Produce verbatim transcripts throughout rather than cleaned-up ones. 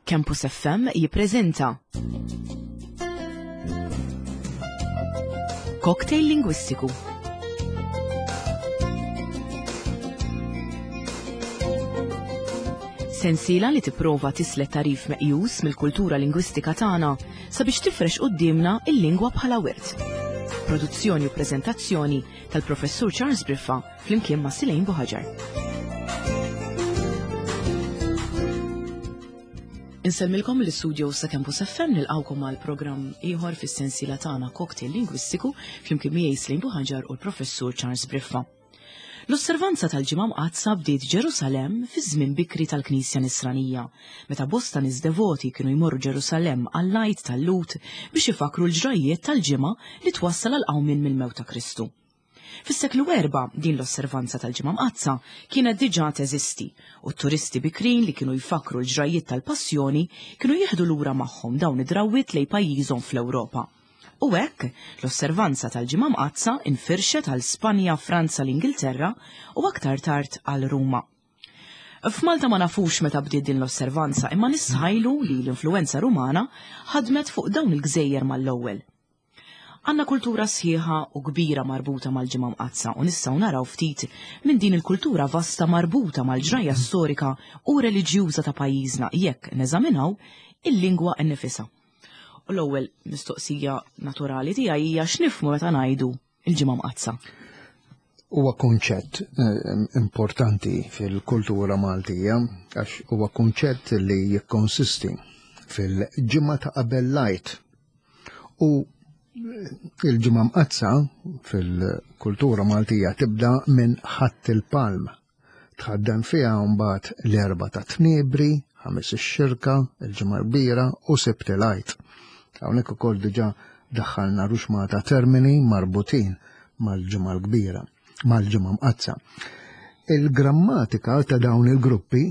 Campus F M jippreżenta Cocktail Lingwistiku. Sensiela li tipprova tislet tarif meqjus mill-kultura lingwistika tagħna sabiex tifrex quddiemna il-lingwa bħala wirt. Produzzjoni u preżentazzjoni tal-Professur Charles Briffa flimkien ma' Silejn Buħaġar. Insellmilkom l-istudio sa' Campus F M, nilqawkom għal programm ieħor fis-sensiela tagħna Cocktail Lingwistiku flimkien miegħi Silejn Buħaġar u l-Professur Charles Briffa. L-osservanza tal-Ġimgħa Mqaddsa bdiet Ġerusalemm fi żmien bikri tal-Knisja Nisranija, meta bosta nies devoti kienu jmorru Ġerusalemm għall-Għid tal-Lhud biex ifakru l-ġrajjiet tal-ġimgħa li twassal għal qawmien mill-mewt ta' Kristu. Fis-seklu erba' din l-osservanza tal-Ġimgħa Mqaddsa kienet diġà teżisti u t-turisti bikrin li kienu jfakru l-ġrajjiet tal-Passjoni kienu jieħdu lura magħhom dawn id-drawwiet lejn pajjiżhom fl-Ewropa. U hekk, l-osservanza tal-Ġimgħa Mqaddsa infirxet għal Spanja, Franza, l-Ingilterra u aktar tard għal Ruma. F'Malta ma nafux meta bdiet din l-osservanza, imma nistħajlu li l-influenza Rumana ħadmet fuq dawn il-gżejjer mal-ewwel. Għandna kultura sħiħa u kbira marbuta mal-Ġimgħa Mqaddsa u nistgħu naraw ftit minn din il-kultura vasta marbuta mal-ġrajja storika u reliġjuża ta' pajjiżna jekk neżaminaw il-lingwa nnifisha. U l-ewwel mistoqsija naturali tiegħi hija x'nifhmu meta ngħidu il-Ġimgħa Mqaddsa. Huwa kunċett, eh, importanti fil-kultura Maltija għax huwa kunċett li jikkonsisti fil-ġimgħa ta' qabel l-Għid. U il-Ġimgħa Mqaddsa fil-kultura Maltija tibda minn Ħadd il-Palm. Tħaddan fiha mbagħad l-Erbgħa ta' Tniebri, Ħames ix-Xirka, il-Ġimgħa Kbira u Sibt il-Għid. Hawnhekk ukoll diġà daħħalna ruxmata termini marbutin mal-Ġimgħa l-Kbira, mal-Ġimgħa Mqaddsa. Il-grammatika ta' dawn il-gruppi,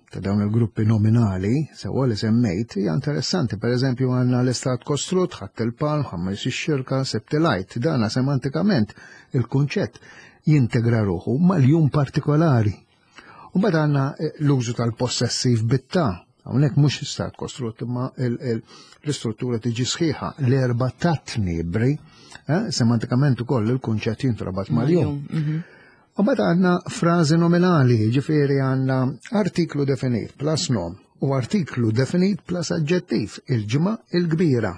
ta' dawn il-gruppi nominali, sewwa li semmejt, hija interessanti. Per eżempju, għandna l-istat kostrut, Ħadd il-Palm, Ħames ix-Xirka, Sibt il-Għid. Dana semantikament il-kunċett jintegra ruħu mal-jum partikolari. U mbagħad għandna, eh, l-użu tal-possessiv bit-ta. Hawnhekk mhux istat kostrut, imma il-, il-, l-istruttura tiġi sħiħa, l-erba' ta' tniebri, eh, semantikament ukoll il-kunċett jintrabat mal-jum. Mhm. U mbagħad għandna frażi nominali, ġifieri għandna artiklu definit plus nom u artiklu definit plus aġġettiv, il-ġimgħa il-kbira.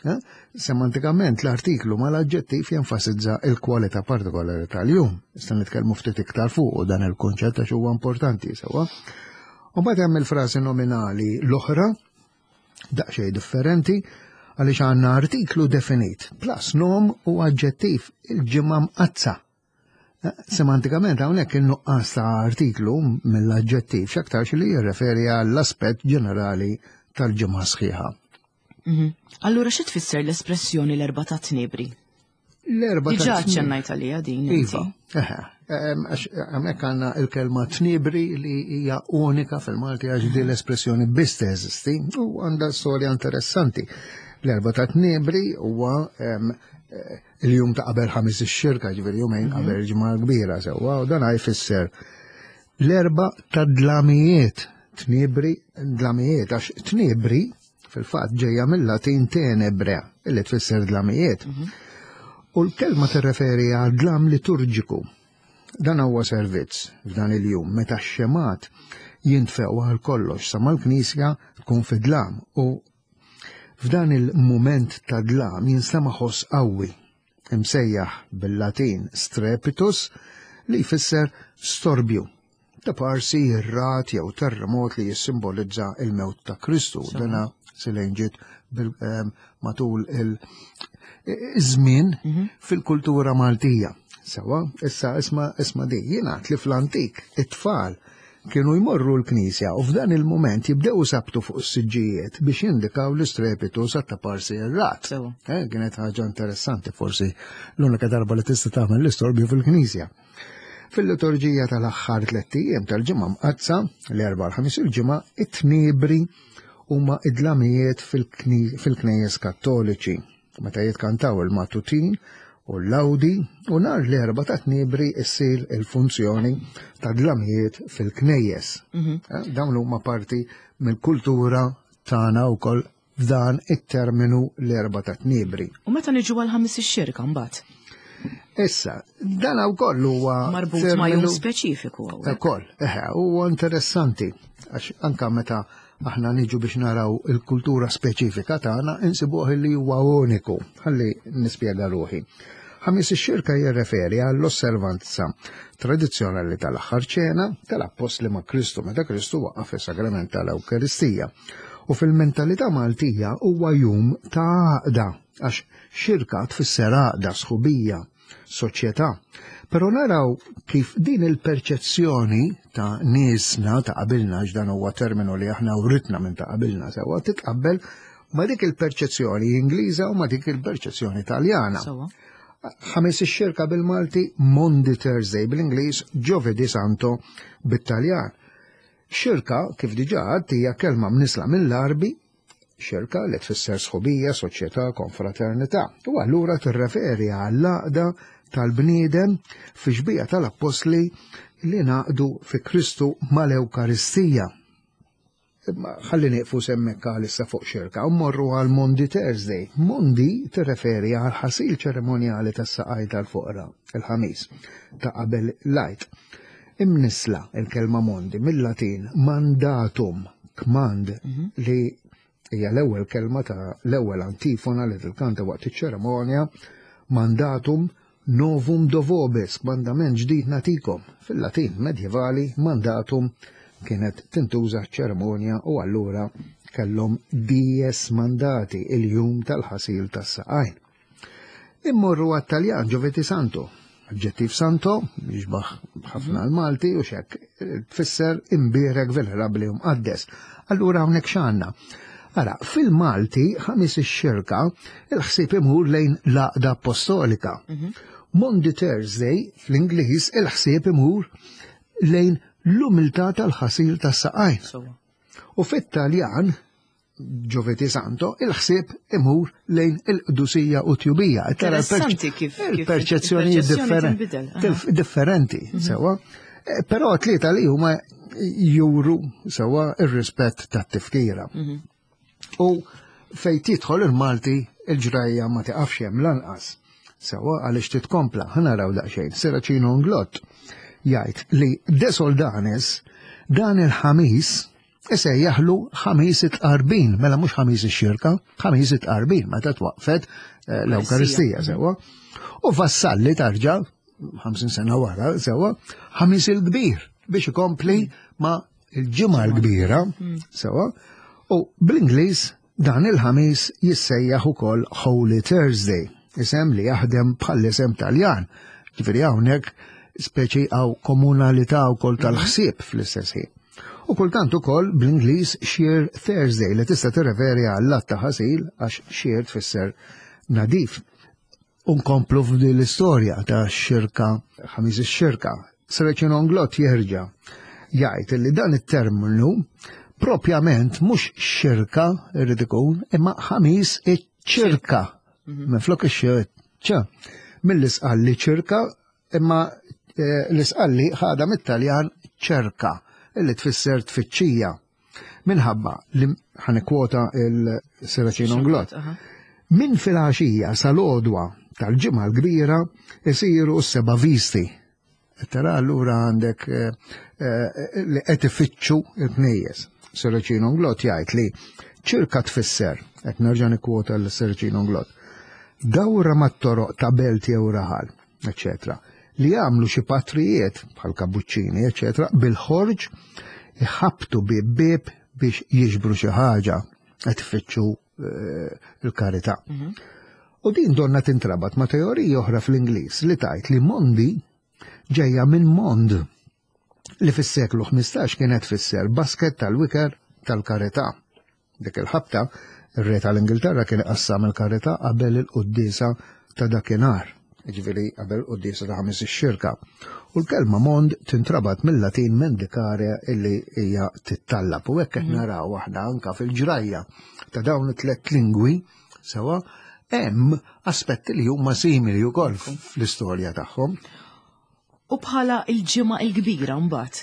Eh? Semantikament l-artiklu mal-aġġettiv jenfasizza il-kwalità partikolari tal-jum. Issa nitkellmu ftit iktar fuq u dan il-kunċett għax huwa importanti sewwa. U mbagħad hemm il-frażi nominali l-oħra, daqsxejn differenti, għaliex għandna artiklu definit plus nom u aġġettiv, il-ġimgħa mqaddsa. Eh, semantikament hawnhekk in-nuqqas ta' artiklu mill-aġġettiv x'aktarx li jirreferi għall-aspett ġenerali tal-ġimgħa sħiħa. Mhm. Allura xi tfisser l-espressjoni l-Erbgħa ta' Tniebri? L-Erbgħa ta' Diġà Tniebri. ċċennajt għaliha din inti. Iva, eħe. Ehm, għax hemmhekk għandna l-kelma tniebri li hija unika fil-Malti għax din l-espressjoni biss teżisti u għandha storja interessanti. L-Erbgħa ta' Tniebri huwa, ehm, eh, il-jum ta' qabel ħames ix-xirka, ġifieri jumejn Mhm. qabel il-Ġimgħa l-Kbira sewwa, u dan jfisser l-erba' ta' dlamijiet, tniebri, dlamijiet, għax tniebri fil-fatt ġejja mill-Latin tenebre, illi tfisser dlamijiet. Mhm. U l-kelma tirreferi għal dlam liturġiku. Dan huwa servizz f'dan il-jum meta x-xemat jintfew għal kollox sa mal-Knisja tkun fi dlam u f'dan il-mument ta' dlam jinstema' ħoss qawwi imsejjaħ bil-Latin strepitus li jfisser storbju, ta' parsi ir-rat jew terremot li jissimbolizza il-mewt ta' Kristu. Sewwa. Dana silejn ġiet bil-, ehm, matul il-, iż-żmien Mhm. fil-kultura Maltija. Sewwa, issa isma', isma' di, jingħad li fl-antik it-tfal kienu jmorru l-knisja u f'dan il-moment jibdew sabtu fuq is-siġġijiet biex jindikaw l-istrepitu sa ta' parsi ir-rat. Sewwa. Eh, kienet ħaġa interessanti, forsi l-unika darba li tista' tagħmel l-istorbju fil-knisja. Fil-liturġija tal-aħħar tliet ijiem tal-Ġimgħa Mqaddsa, l-Erbgħa l-Ħamis il-Ġimgħa, it-tniebri huma id-dlamijiet fil-kni-, fil-knejjes kattoliċi, meta jitkantaw il-matutin u l-lawdi, u nhar l-Erbgħa ta' Tniebri issir il-funzjoni ta' dlamijiet fil-knejjes. Mhm. Eh, dawn huma parti mill-kultura tagħna wkoll f'dan it-terminu l-Erbgħa ta' Tniebri. U meta niġu għal Ħamis ix-Xirka mbagħad? Issa, dan wkoll huwa marbut ma' jum speċifiku hawnhekk. Ukoll, eħe, huwa interessanti għax anka meta aħna niġu biex naraw il-kultura speċifika tagħna insibuh li huwa uniku. Ħalli nispjega ruħi. Ħamis ix-Xirka jirreferi għall-osservanza tradizzjonali tal-aħħar ċena tal-appostli ma' Kristu meta Kristu waqqaf is-sagrament tal-Ewkaristija. U fil-mentalità Maltija huwa jum ta' għaqda, għax xirka tfisser għaqda, sħubija, soċjetà. Però naraw kif din il-perċezzjoni ta' niesna ta' qabilna, x'dan huwa terminu li aħna writna minn ta' qabilna sewwa, titqabbel ma' dik il-perċezzjoni Ingliża u ma' dik il-perċezzjoni Taljana. Sewwa. Ħamis ix-Xirka bil-Malti, Maundy Thursday bl-Ingliż, Giovedì Santo bit-Taljan. Xirka, kif diġà għedt, hija kelma mnisla mill-Arbi, xirka li tfisser sħubija, soċjetà, konfraternità. U allura tirreferi għall-għaqda tal-bniedem fi xbieha tal-appostli li ngħaqdu fi Kristu mal-Ewkaristija. Imma ħalli nieqfu s'hemmhekk għalissa fuq xirka u mmorru għal Maundy Thursday. Maundy tirreferi għal ħasil ċeremonjali tas-saqaj tal-foqra, il-ħamis, ta' qabel l-Għid. Imnisla il-kelma Maundy mill-Latin mandatum, kmand, li hija l-ewwel kelma ta' l-ewwel antifona li tilkanta waqt iċ-ċeremonja, mandatum novum do vobis, kmandament ġdid nagħtikom. Fil-Latin medjevali mandatum kienet tintuża ċeremonja u allura kellhom dies mandati, il-jum tal-ħasil tas-saqajn. Immorru għat-Taljan Giovedì Santo. Aġġettiv santo, jixbaħ ħafna l-Malti u xek, tfisser imbierek, venerabli u mqaddes. Allura hawnhekk x'għandna? Ara, fil-Malti, Ħamis ix-Xirka, il-ħsieb imur lejn l-għaqda apostolika. Maundy Thursday, fl-Ingliż, il-ħsieb imur lejn l-umiltà tal-ħasil tas-saqajn. Sewwa. U fit-Taljan, Giovedì Santo, il-ħsieb imur lejn il-qdusija u tjubija. Tara Interessanti kif- kif il-perċezzjoni il-perċezzjoni tinbidel, aha. differ- differenti, sewwa. Eh, Però tlieta li huma juru sewwa ir-rispett tat-tifkira. U fej tidħol il-Malti il-ġrajja ma tiqafx hemm lanqas. Sewwa għaliex titkompla, ħa naraw daqsxejn. Serracino Inglott jgħid li De Soldanis dan il-ħamis isejjaħlu Ħamis it-Tqarbin, mela mhux Ħamis ix-Xirka, Ħamis it-Tqarbin, meta twaqfet eh, l-Ewkaristija sewwa. U Vassalli tarġa' ħamsin sena wara sewwa, Ħamis il-Kbir biex ikompli ma il-ġimgħa l-kbira sewwa. U bl-Ingliż dan il-ħamis jissejjaħ ukoll Holy Thursday, isem li jaħdem bħall-isem Taljan. Ġifieri hawnhekk speċi għaw komunalità wkoll tal-ħsieb fl-istess ħin. U kultant ukoll bl-Ingliż Sheer Thursday li tista' tirreferi għall-att ta' ħasil għax sheer tfisser nadif. Unkomplu f'din l-istorja ta' xirka, Ħamis ix-Xirka. Serracino Inglott jerġa' jgħid li dan it-terminu propjament mhux xirka irrid ikun, imma Ħamis iċ-ċirka. Minflok ix-ċ. Mill-Isqalli ċirka, imma eh, l-Isqalli ħadha mit-Taljan ċerka, illi tfisser tfittxija. Minħabba li ħa nikkwota il-Serracino Inglott. Aha. Min filgħaxija sal-għodwa tal-ġimgħa l-kbira isiru s-seba' visti. Tara allura għandek eh, eh, li qed ifittxu il-knejjes. Serracino Inglott jgħid li ċirka tfisser, qed nerġa' nikkwota l-Serracino Inglott, dawra mat-toroq ta' belt jew raħal, eċetera, li jagħmlu xi patrijiet bħal kabuċċini, eċetera, bil-ħorġ iħabtu bib bib biex jiġbru xi ħaġa qed ifittxu eh, il-karità. U din donna tintrabat ma' teorija oħra fl-Ingliż li tgħid li Maundy ġejja minn Mond li fis-seklu ħmistax kienet tfisser basket tal-wiker tal-karità. Dik il-ħabta, ir-re tal-Ingilterra kien iqassam il-karità qabel il-quddiesa ta' dakinhar, jiġifieri qabel il-quddiesa ta' Ħamis ix-Xirka. U l-kelma Mond tintrabat mill-Latin mendicare illi hija tittallab. U hekk qed naraw aħna anka fil-ġrajja ta' dawn it-tliet lingwi sewwa hemm aspetti li huma simili wkoll fl-istorja tagħhom. U bħala il-ġimgħa il-kbira mbagħad.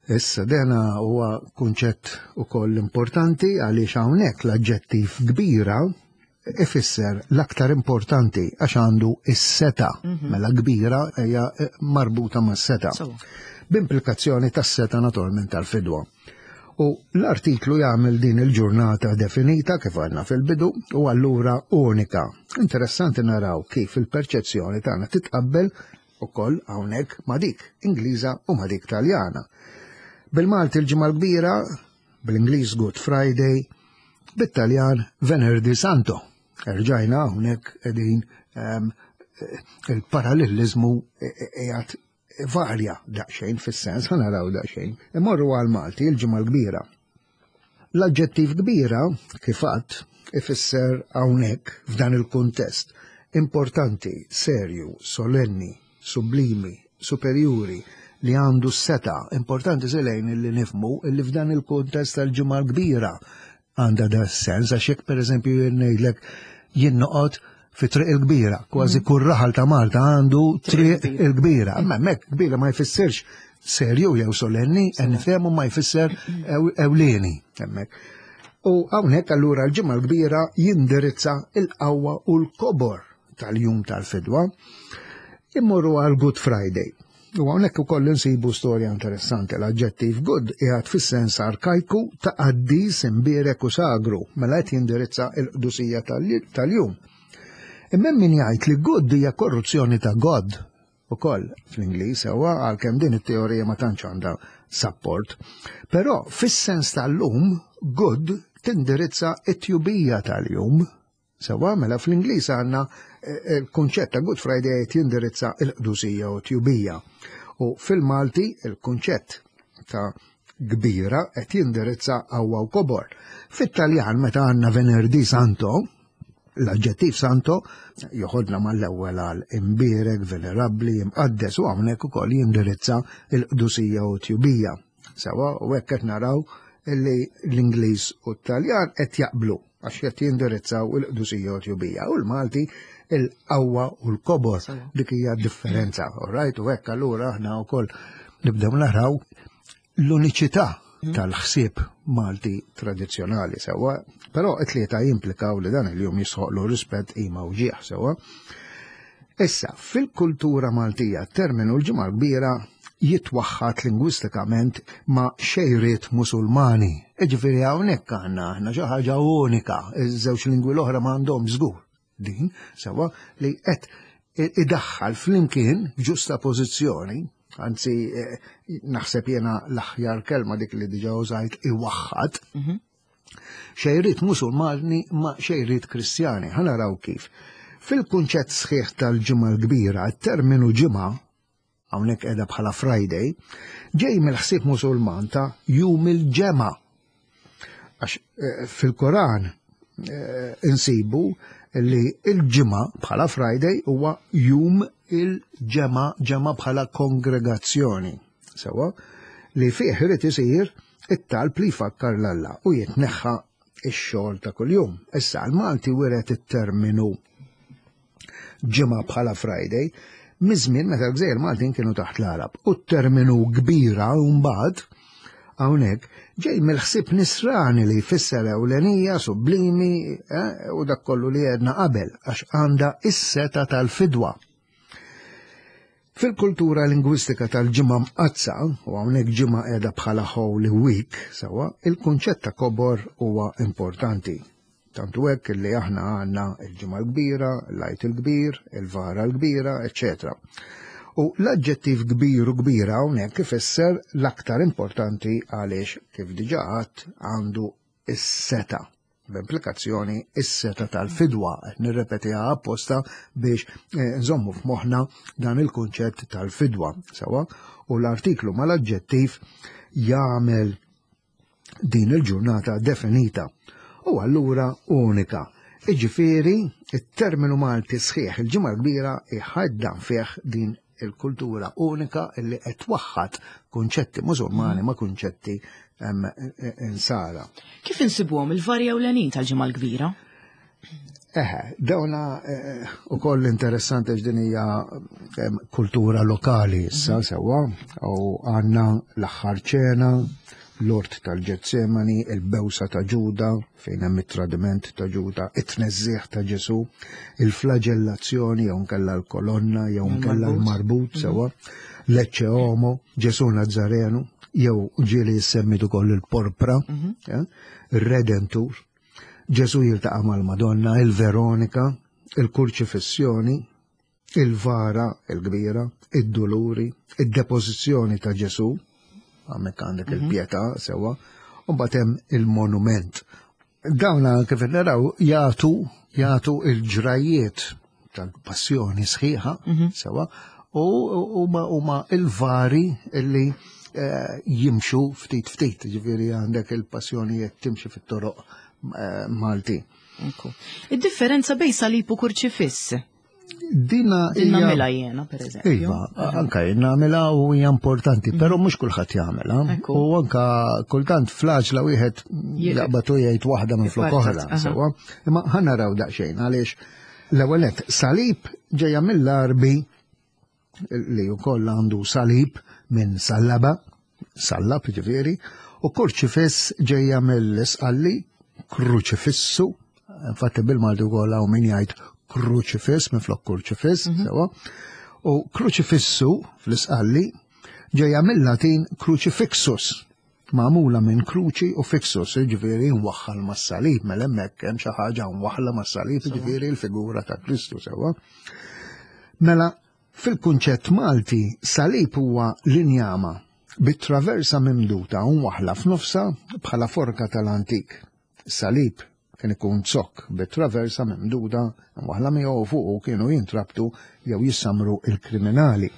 Issa dena huwa kunċett ukoll importanti għaliex hawnhekk l-aġġettiv kbira ifisser l-aktar importanti għax għandu is-setgħa. Mela kbira hija marbuta mas-setgħa. B'implikazzjoni tas-setgħa naturalment tal-fidwa. U l-artiklu jagħmel din il-ġurnata definita kif għandna fil-bidu u allura unika. Interessanti naraw kif il-perċezzjoni tagħna titqabbel ukoll hawnhekk ma' dik Ingliża u ma' dik Taljana. Bil-Malti il-Ġimgħa l-Kbira, bl-Ingliż Good Friday, bit-Taljan Venerdì Santo. Erġajna hawnhekk qegħdin um, il-parallelizmu qiegħed varja daqsxejn fis-sens, ħa naraw daqsxejn. Imorru għal Malti il-Ġimgħa l-Kbira. L-aġġettiv kbira, kif għadt, ifisser hawnhekk f'dan il-kuntest importanti, serju, solenni, sublimi, superjuri, li għandu s-setgħa. Importanti selejn li nifhmu li f'dan il-kuntest tal-Ġimgħa l-Kbira għandha da sens, għax jekk per eżempju jien ngħidlek jien noqgħod fi Triq il-Kbira, kważi kull raħal ta' Malta għandu Triq il-Kbira. Imma hemmhekk kbira ma jfissirx serju jew solenni, nifhemu ma jfisser ewlieni hemmhekk. U hawnhekk allura l-Ġimgħa l-Kbira jindirizza il-qawwa u l-kobor tal-jum tal-fidwa. Immorru għal Good Friday. U hawnhekk ukoll insibu storja interessanti. L-aġġettiv good qiegħed fis-sens arkajku ta' qaddis, imbierek u sagru, mela qed jindirizza l-qdusija tal-jum. Imma min jgħid li good hija korruzzjoni ta' God ukoll fl-Ingliż, sewwa, għalkemm din it-teorija ma tantx għandha support. Però fis-sens tal-lum good tindirizza it-tjubija tal-jum. Sewwa, mela fl-Ingliż għandna il-kunċett ta' Good Friday qed jindirizza il-qdusija u tjubija. U fil-Malti il-kunċett ta' kbira qed jindirizza qawwa u kobor. Fit-Taljan meta għandna Venerdì Santo, l-aġġettiv santo joħodna mal-ewwel għal imbierek, venerabbli, imqaddes u hawnhekk ukoll jindirizza il-qdusija u tjubija. Sewwa, u hekk qed naraw li l-Ingliż u t-Taljan qed jaqblu għax qed jindirizzaw il-qdusija u tjubija u l-Malti il-qawwa u l-kobor. Dik hija differenza, all right? U hekk allura aħna wkoll nibdew naraw l-uniċità tal-ħsieb Malti tradizzjonali, sewwa, però it-tlieta jimplikaw li dan il-jum jisħoqlu rispett, qima u ġieħ, sewwa. Issa, fil-kultura Maltija, terminu l-Ġimgħa Kbira jitwaħħat lingwistikament ma' xejriet Musulmani. Iġifieri hawnhekk għandna aħna xi ħaġa unika, iż-żewġ lingwi l-oħra ma għandhom żgur din, sewwa, li qed idaħħal flimkien ġusta pożizzjoni, anzi naħseb jena l-aħjar kelma dik li diġa użajt, iwaħħad, xejriet Musulmani ma' xejriet Kristjani. Ħa naraw kif. Fil-kunċett sħiħ tal-Ġimgħa l-Kbira, terminu ġimgħa, hawnhekk qiegħda bħala Friday, ġej mill-ħsieb Musulman ta' jum il-ġemgħa. Għax fil-Koran insibu li il-ġimgħa bħala Friday huwa jum il-ġemgħa, ġemgħa bħala kongregazzjoni. Sewwa, li fih irid isir it-talb li jfakkar l-Alla u jitneħħa ix-xogħol ta' kuljum. Issa l-Malti wiret it-terminu ġimgħa bħala Friday miż-żmien meta l-Gżejjer Maltin kienu taħt l-Arab. U t-terminu kbira mbagħad hawnhekk ġej mill-ħsieb nisrani li jfisser ewlenija, sublimi, eh, u dak kollu li għedna qabel, għax għandha is-setgħa tal-fidwa. Fil-kultura lingwistika tal-Ġimgħa Mqaddsa, u hawnhekk ġimgħa qiegħda bħala Holy Week, sewwa, il-kunċett ta' kobor huwa importanti. Tantu hekk li aħna għandna il-Ġimgħa l-Kbira, l-Għid il-Kbir, il-Vara l-Kbira, eċċetera. U l-aġġettiv kbir u kbira hawnhekk ifisser l-aktar importanti għaliex kif diġà għadt għandu is-setgħa. B'implikazzjoni is-setgħa tal-fidwa, qed nirrepetiha apposta biex nżommu f'moħħna dan il-kunċett tal-fidwa, sewwa, u l-artiklu mal-aġġettiv jagħmel din il-ġurnata definita u allura unika. Iġifieri, it-terminu Malti sħiħ il-Ġimgħa l-Kbira iħaddan fih din il-kultura unika illi qed twaħħad kunċetti Musulmani ma' kunċetti insara. Kif insibuhom il-varja ewlenin tal-Ġimgħa l-Kbira? Eħe, dawna eh, u koll interessanti x'din hija em, kultura lokali issa sewwa, u għandna l-aħħar ċena, l-ort tal-Ġetsemani, il-bewsa ta' Ġuda, fejn hemm it-tradiment ta' Ġuda, it-tneżżieħ ta' Ġesu, il-flagellazzjoni jew nkella l-kolonna jew nkella l-marbut sewwa, l-Ecce Homo, Ġesu Nazzarenu, jew ġieli jissemmit ukoll il-porpra, eh, il-Redentur, Ġesu jiltaqa' mal-Madonna, il-Veronika, il-Kurċifissjoni, il-Vara, il-Kbira, id-Duluri, id-Depożizzjoni ta' Ġesu, hemmhekk għandek il-Pietà sewwa, u mbagħad hemm il-Monument. Dawna kif naraw jagħtu jagħtu il-ġrajiet tal-passjoni sħiħa sewwa u huma huma il-vari illi eh, jimxu ftit ftit, ġifieri għandek il-passjonijiet timxi fit-toroq eh, Malti. Ekku. Id-differenza bejn salib u kurċifiss. Dina Din hija- nagħmilha jiena, per eżempju. Iva, anka jien nagħmilha u hija importanti, però mhux kulħadd jagħmilha. Ekku. U anka kultant fl-għaġla wieħed jaqbad u jgħid waħda minn flok Ipartat, oħra, aha. sewwa. Imma ħa naraw daqsxejn għaliex l-ewwel nett, salib ġejja mill-Arbi li wkoll għandu salib minn sallaba, sallab ġifieri, u kurċifiss ġejja mill-isqalli, kruċifissu, infatti bil-Malti wkoll hawn min jgħid kruċifiss minn flok kurċifiss, sewwa. U kruċifissu fl-isqalli ġejja mill-Latin crucifixus, magħmula minn kruċi u fixus, ġifieri nwaħħal mas-salib, mela hemmhekk hemm xi ħaġa nwaħħla mas-salib, ġifieri l-figura ta' Kristu sewwa. Mela, fil-kunċett Malti, salib huwa l-injama bit-traversa mimduta u mwaħla f'nofsa bħala forka tal-antik. Salib kien ikun zokk bit-traversa mimduda mwaħla miegħu u fuqu kienu jintrabtu jew jissamru il-kriminali.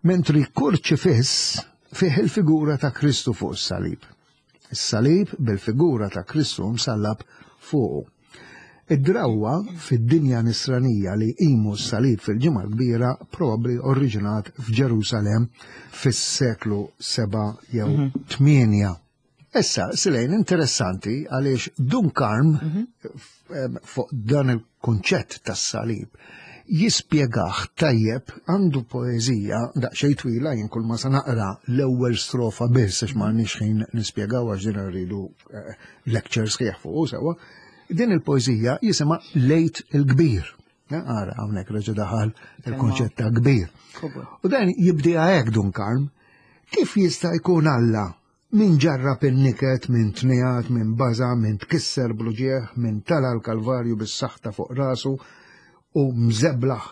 Mentri kurċifiss fih il-figura ta' Kristu fuq is-salib. Is-salib bil-figura ta' Kristu msallab fuqu. Id-drawwa fid-dinja nisranija li jqimu s-salib fil-ġimgħa kbira probabbli oriġinat f'Ġerusalem fis-seklu seba' jew tmienja. Issa, Silejn, interessanti għaliex Dun Karm em, fuq dan il-kunċett tas-salib jispjegaħ tajjeb, għandu poeżija daqsxejn twila, jien kull ma sa naqra l-ewwel strofa biss għax m'għandniex ħin nispjegaw għax din rridu eh, lecture sħiħ fuq sewwa. Din il-poeżija jisimha L-Għid il-Kbir. Ja, ara, hawnhekk reġa' daħal il-konċett ta' kbir. Kobor. U dan jibdiha hekk Dun Karm, kif jista' jkun Alla min ġarrab in-niket, min tnijat, min baza, min tkisser bl-uġigħ, min tala l-Kalvarju bis-saħta fuq rasu u mżeblaħ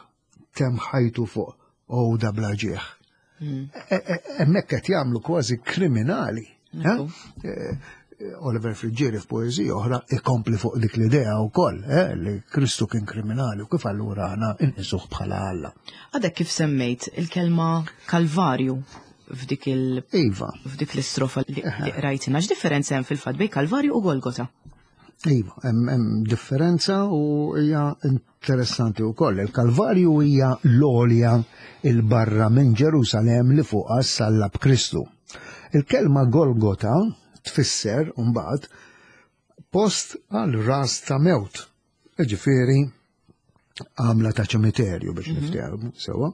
temm ħajtu fuq għuda bla ġieħ. E- e- Hemmhekk qed jagħmlu kważi kriminali. eh? Eh, Oliver Friggieri f'poeżija oħra ikompli fuq dik l-idea wkoll, eh, li Kristu kien kriminali u kif allura aħna inqisuh bħala Alla. Għadek kif semmejt il-kelma Kalvarju f'dik il- Iva, f'dik l-istrofa li li qrajtina, x'differenza hemm fil-fatt bejn Kalvarju u Golgota? Iva, hemm hemm differenza u hija interessanti wkoll. Il-Kalvarju hija l-għolja il-barra minn Ġerusalem li fuqha sallab Kristu. Il-kelma Golgota tfisser mbagħad post għal ras ta' mewt. Ġifieri għamla ta' ċimiterju biex niftehmu sewwa.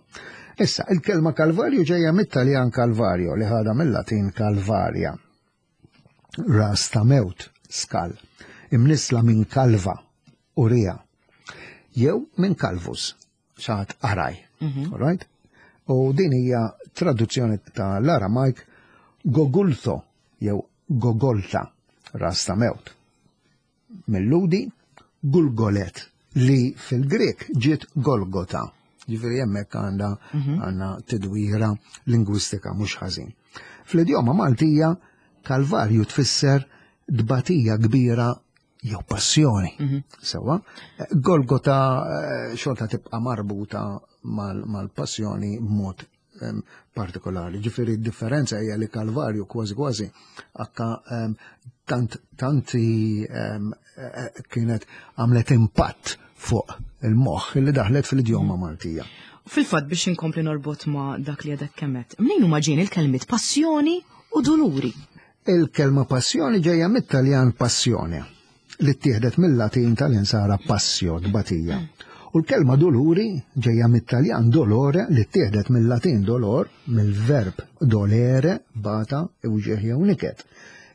Issa, il-kelma Kalvarju ġejja mit-Taljan Calvario li ħada mill-Latin Calvaria. Ras ta' mewt, skal, imnisla minn kalva, urija, jew minn kalvus, xaħat araj. All right? U din hija traduzzjoni ta' l-Aramajk Gogultho, jew Gogolta, ras ta' mewt. Mill-Lhudi, Gulgolet, li fil-Grek ġiet Golgota. Ġifieri hemmhekk għandha għandna tidwira lingwistika mhux ħażin. Fl-idjoma Maltija, Kalvarju tfisser dbatija kbira jew passjoni. Sewwa, Golgota eh, xorta tibqa' marbuta mal- mal-passjoni b'mod em, partikolari. Ġifieri differenza hija li Kalvarju kważi kważi akka em, tant tanti em, eh, kienet għamlet impatt fuq il-moħħ li daħlet fil-idjoma Maltija. Fil-fatt biex inkompli norbot ma' dak li għadek kemmet. Mnejn huma ġejjin il-kelmiet passjoni u doluri? Il-kelma passjoni ġejja mit-Taljan passione, li ttieħdet mill-Latin tal-insara passio, tbatija. U l-kelma duluri ġejja mit-Taljan dolore li ttieħdet mill-Latin dolor, mill-verb dolere, bata, uġigħ jew niket.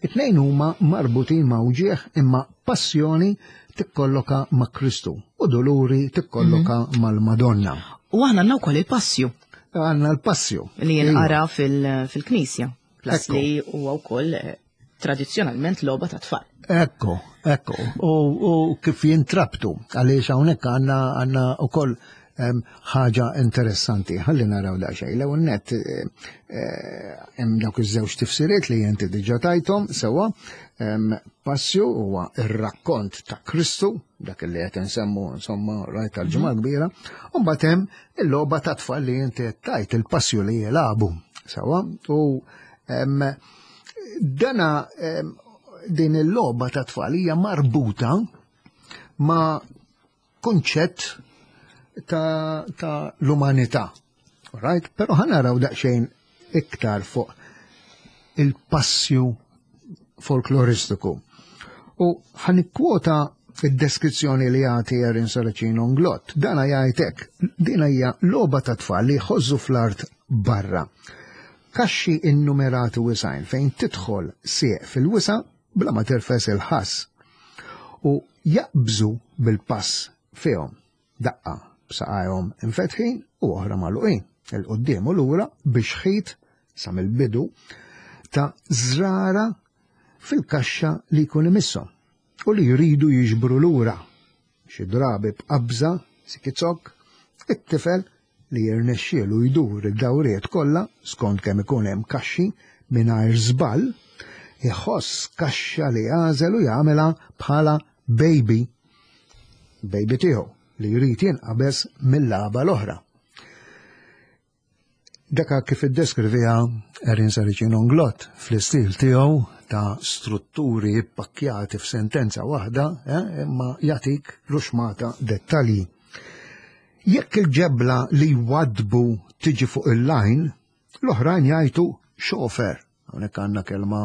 It-tnejn huma marbutin ma' uġigħ, imma passjoni tikkolloka ma' Kristu u doluri tikkolloka mm -hmm. mal-Madonna. U aħna għandna wkoll il-passju. Għandna l-passju. Li jinqara fil-knisja. Plus li huwa wkoll eh, tradizzjonalment logħba ta' tfal. Ekku, ekku. U, u kif jintrabtu, għaliex hawnhekk għandna għandna wkoll ħaġa interessanti. Ħalli naraw daqsxejn. L-ewwel nett eh, eh, hemm dawk iż-żewġ tifsiriet li inti diġà tajthom sewwa. Passju huwa ir-rakkont ta' Kristu, dak li qed insemmu insomma rajt tal-Ġimgħa mhm. Kbira, u mbagħad hemm il-logħba ta' tfal li inti tajt il-passju li jilagħbu sewwa. U dana din il-logħba ta' tfal hija marbuta ma' kunċett ta', ta l-umanità. Right? Però ħa naraw daqsxejn iktar fuq il-passju folkloristiku. U ħa nikkwota id-deskrizzjoni li jagħti Erin Saracino Nglott. Dana jgħidlek, din hija logħba ta' tfal li jħożżu fl-art barra. Kaxxi innumerati wisgħin fejn tidħol sieq fil-wisa bla ma tirfes il-ħass. U jaqbżu bil-pass fihom daqqa b'saqajhom infetħin u oħra magħluqin, 'il quddiem u lura biex ħit sa mill-bidu ta' żrara fil-kaxxa li jkun imisshom u li jridu jiġbru lura. Xi drabi b'qabża, sikizok, it-tifel li jirnexxielu jdur id-dawriet kollha skont kemm ikun hemm kaxxi mingħajr żball, iħoss kaxxa li jagħżel u jagħmilha bħala baby, baby tiegħu li jrid jinqabeż mill-lagħba l-oħra. Daka kif iddeskriviha Erin Saracino Nglott fl-istil tiegħu ta' strutturi ippakkjati f'sentenza waħda, eh, imma jagħtik ruxmata dettalji. Jekk il-ġebla li jwadbu tiġi fuq il-lajn, l-oħrajn jgħidu xofer. Hawnhekk għandna kelma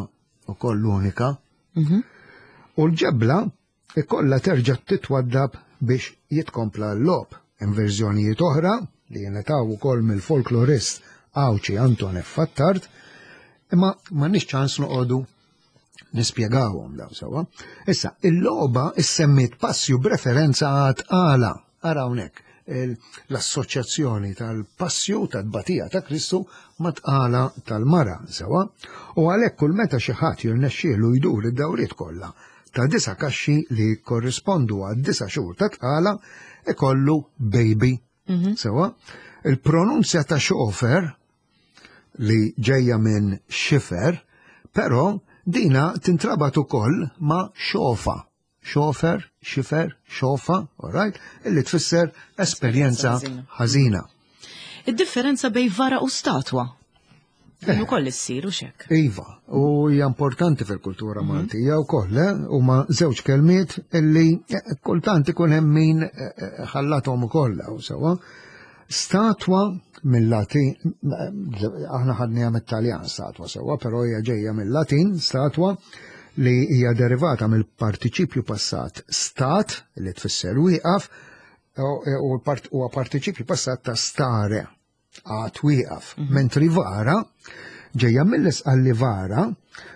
ukoll unika. Mhm. U l-ġebla ikollha terġa' titwaddab biex jitkompla l-logħob. Hemm verżjonijiet oħra li jingħataw ukoll mill-folklorist Għawdxi Anton F. Attard, imma m'għandniex ċans noqogħdu nispjegawhom daw sewwa. Issa, il-logħba issemmiet passju b'referenza għat-tqala. Ara hawnhekk l-assoċjazzjoni tal-passju tat-tbatija ta' Kristu mat-tqala tal-mara sewwa. U għalhekk kull meta xi ħadd jirnexxielu jdur id-dawriet kollha ta' disa' kaxxi li korrispondu għad disa' xhur ta' tqala ikollu baby. Mhm. Sewwa, il-pronunzja ta' xofer li ġejja minn xifer, però dina tintrabat ukoll ma' xofa. Xofer, xifer, xofa, all right, illi tfisser esperjenza ħażina. Id-differenza bejn vara u statwa. Din ukoll issir u xek. Iva, u hija importanti fil-kultura Maltija wkoll, eh? Huma żewġ kelmiet illi eh, kultant ikun hemm min eh, eh, ħallathom ukoll hawn sewwa. Statwa mill-Latin, aħna ħadniha mit-Taljan statwa sewwa, però hija ġejja mill-Latin statwa li hija derivata mill-partiċipju passat stat li tfisser wieqaf u huwa partiċipju passat ta' stare għad wieqaf. Mentri vara ġejja mill-Isqalli vara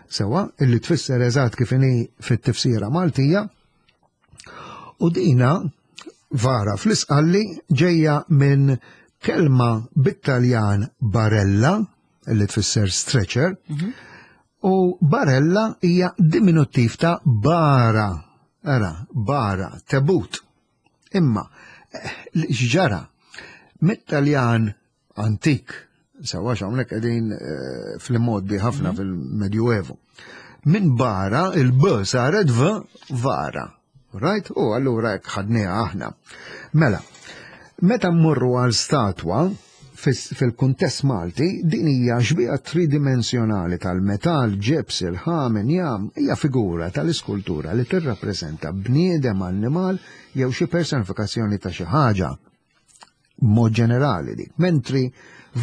sewwa illi tfisser eżatt kif inhi fit-tifsira Maltija u dina vara fl-Isqalli ġejja minn kelma bit-Taljan barella illi tfisser stretcher u barella hija diminuttiv ta' bara. Ara, bara, tebut. Imma, eh, x'ġara? Mit-Taljan antik, sewwa hawnhekk qegħdin eh, fl-modi ħafna fil-Medjuevu. Minn bara il-B saret V vara. Right? U allura hekk ħadniha aħna. Mela, meta mmorru għal statwa fil-kuntest Malti, din hija xbieha tridimensjonali tal-metall, ġebs, irħam, injam, hija figura tal-iskultura li tirrappreżenta bniedem, annimal jew xi personifikazzjoni ta' xi ħaġa. Mod ġenerali dik. Mentri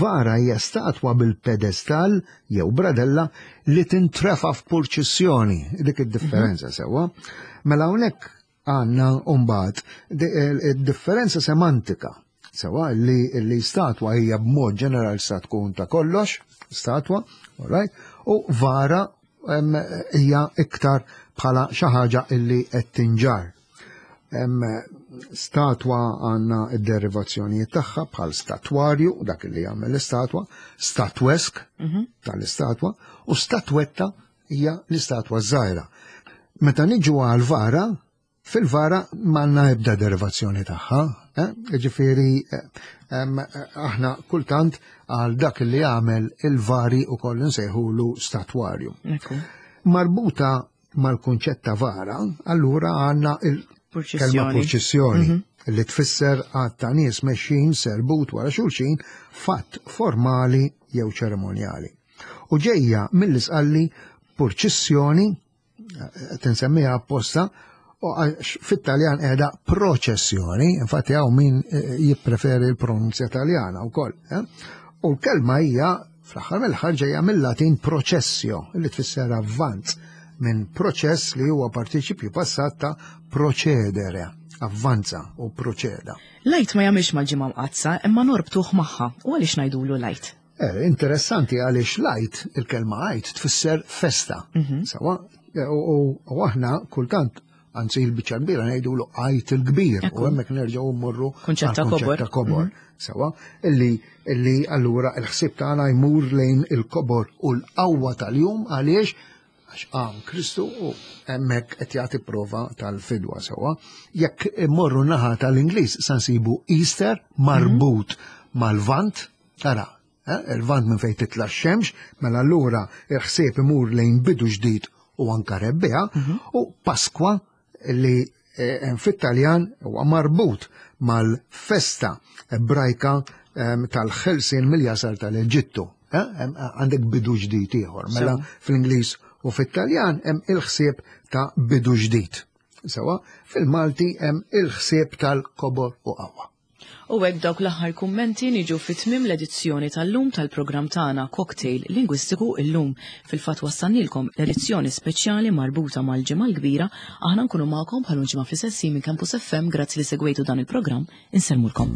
vara hija statwa bil-pedestal jew bradella li tintrefa f'purċissjoni, dik id-differenza sewwa. Mela hawnhekk għandna mbagħad differenza semantika. Sewa li, li statwa hija b'mod ġenerali sa tkun ta' kollox, statwa, all right, u vara hija iktar bħala xi ħaġa illi qed tinġar. Statwa għandna id-derivazzjonijiet tagħha bħal statwarju, dak li jagħmel l-istatwa, statwesk mhm. tal-istatwa, u statwetta hija l-istatwa żgħira. Meta niġu għal vara, fil-vara m'għandna ebda derivazzjoni tagħha, eh? Ġifieri eh, aħna kultant għal dak li għamel il-vari u koll nsejħulu statwarju. Marbuta mal-kunċett ta' vara, allura għandna il-kelma purċissjoni mhm. li tfisser għadd ta' nies mexjin serbut wara xulxin, fatt formali jew ċeremonjali. U ġejja mill-Isqalli purċissjoni, eh, tinsemmiha apposta, u fit-Taljan qiegħda proċessjoni, infatti hawn min eh, jippreferi l-pronunzja Taljana wkoll. Eh? U l-kelma hija fl-aħħar mill-aħħar ġejja mill-Latin processio, li tfisser avvanz, minn proċess li huwa partiċipju passat ta' procedere, avvanza u proċeda. L-Għid ma jagħmilx mal-Ġimgħa Mqaddsa imma norbtuh magħha, u għaliex ngħidulu l-Għid? Eh, interessanti għaliex l-Għid, il-kelma Għid tfisser festa. Mhm. Sawa, u aħna kultant, anzi il-biċċa kbira ngħidulu Għid il-Kbir, u hemmhekk nerġgħu mmorru Kunċett ta' kobor. Ta' kobor. Mhm. Sawa, illi illi allura il-ħsieb tagħna jmur lejn il-kobor u l-qawwa tal-jum għaliex għax qam Kristu u hemmhekk qed jagħti prova tal-fidwa sewwa. Jekk immorru naħa tal-Ingliż sa nsibu Easter marbut mhm. mal-Lvant, tara, eh, il-Lvant minn fejn titla' x-xemx, mela allura il-ħsieb imur lejn bidu ġdid u anka rebbiegħa, mhm. u Pasqua li eh, fit-Taljan huwa marbut mal-festa ebrajka tal-ħelsien mill-jasar tal-Eġittu. Eh, għandek bidu ġdid ieħor. Mela fl-Ingliż u fit-Taljan hemm il-ħsieb ta' bidu ġdid. Sewa, fil-Malti hemm il-ħsieb tal-kobor u qawwa. U hekk dawk l-aħħar kummenti niġu fi tmiem l-edizzjoni tal-lum tal-programm tagħna Cocktail Lingwistiku illum. Fil-fatt wassannilkom l-edizzjoni speċjali marbuta mal-Ġimgħa l-Kbira. Aħna nkunu magħkom bħal ġimgħa fl-istess minn Campus F M. Grazzi li segwejtu dan il-programm. Insellmulkom.